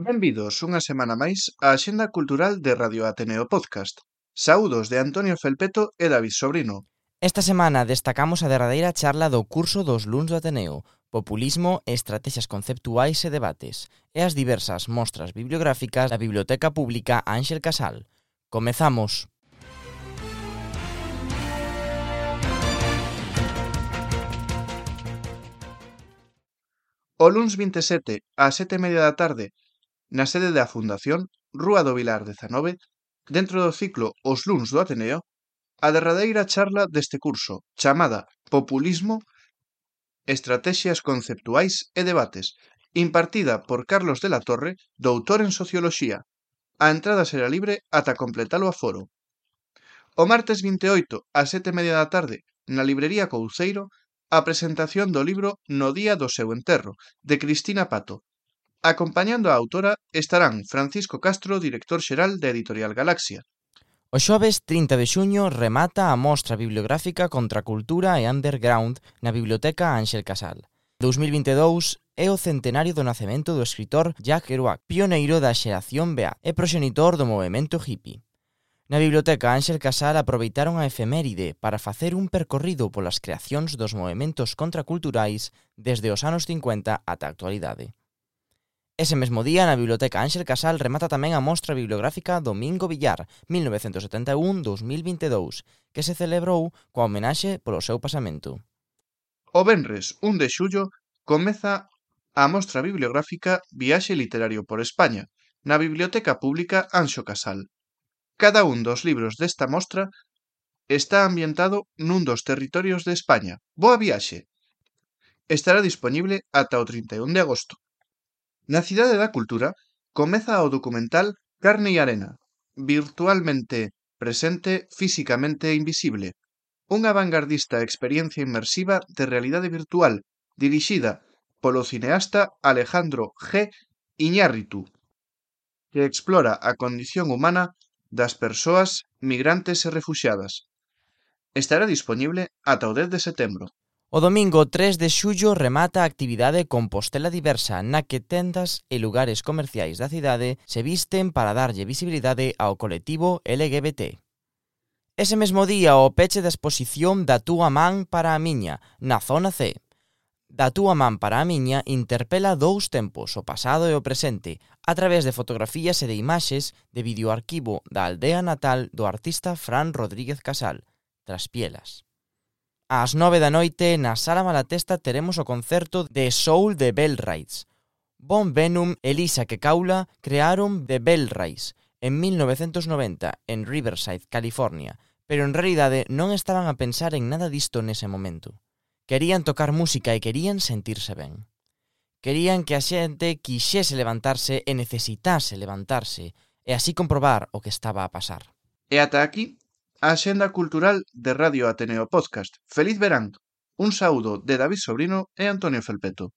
Benvidos unha semana máis á Axenda Cultural de Radio Ateneo Podcast. Saúdos de Antonio Felpeto e David Sobrino. Esta semana destacamos a derradeira charla do curso dos luns do Ateneo, Populismo, Estratexias Conceptuais e Debates, e as diversas mostras bibliográficas da Biblioteca Pública Ánxel Casal. Comezamos! O luns 27 ás 7:30 da tarde, na sede da Fundación, Rúa do Vilar 19, dentro do ciclo Os luns do Ateneo, a derradeira charla deste curso, chamada Populismo, Estratexias Conceptuais e Debates, impartida por Carlos de la Torre, doutor en Socioloxía. A entrada será libre ata completar o aforo. O martes 28 ás 7:30 da tarde, na librería Couceiro, a presentación do libro No día do seu enterro, de Cristina Pato. Acompañando a autora estarán Francisco Castro, director xeral da Editorial Galaxia. O xoves 30 de xuño remata a mostra bibliográfica Contra a Cultura e Underground na Biblioteca Ánxel Casal. 2022 é o centenario do nacemento do escritor Jack Kerouac, pioneiro da xeración Beat e proxenitor do movemento hippie. Na Biblioteca Ánxel Casal aproveitaron a efeméride para facer un percorrido polas creacións dos movementos contraculturais desde os anos 50 ata a actualidade. Ese mesmo día, na Biblioteca Ánxel Casal remata tamén a mostra bibliográfica Domingo Villar, 1971-2022, que se celebrou coa homenaxe polo seu pasamento. O venres 1 de xullo comeza a mostra bibliográfica Viaxe literario por España, na Biblioteca Pública Anxo Casal. Cada un dos libros desta mostra está ambientado nun dos territorios de España. Boa viaxe! Estará disponible ata o 31 de agosto. Na Cidade da Cultura comeza o documental Carne e Arena, virtualmente presente, físicamente invisible. Unha vanguardista experiencia inmersiva de realidade virtual, dirixida polo cineasta Alejandro G. Iñárritu, que explora a condición humana das persoas migrantes e refuxiadas. Estará disponible ata o 10 de setembro. O domingo 3 de xullo remata a actividade Compostela Diversa, na que tendas e lugares comerciais da cidade se visten para darlle visibilidade ao colectivo LGBT. Ese mesmo día o peche da exposición Da túa man para a miña, na zona C. Da túa man para a miña interpela dous tempos, o pasado e o presente, a través de fotografías e de imaxes de videoarquivo da aldea natal do artista Fran Rodríguez Casal, Traspielas. Ás 9 da noite, na Sala Malatesta, teremos o concerto de Soul de Bell Rides. Von Venom e Lisa Kekaula crearon The Bell Rides en 1990 en Riverside, California, pero en realidade non estaban a pensar en nada disto nese momento. Querían tocar música e querían sentirse ben. Querían que a xente quixese levantarse e necesitase levantarse e así comprobar o que estaba a pasar. E ata aquí a Axenda Cultural de Radio Ateneo Podcast. Feliz verán! Un saúdo de David Sobrino e Antonio Felpeto.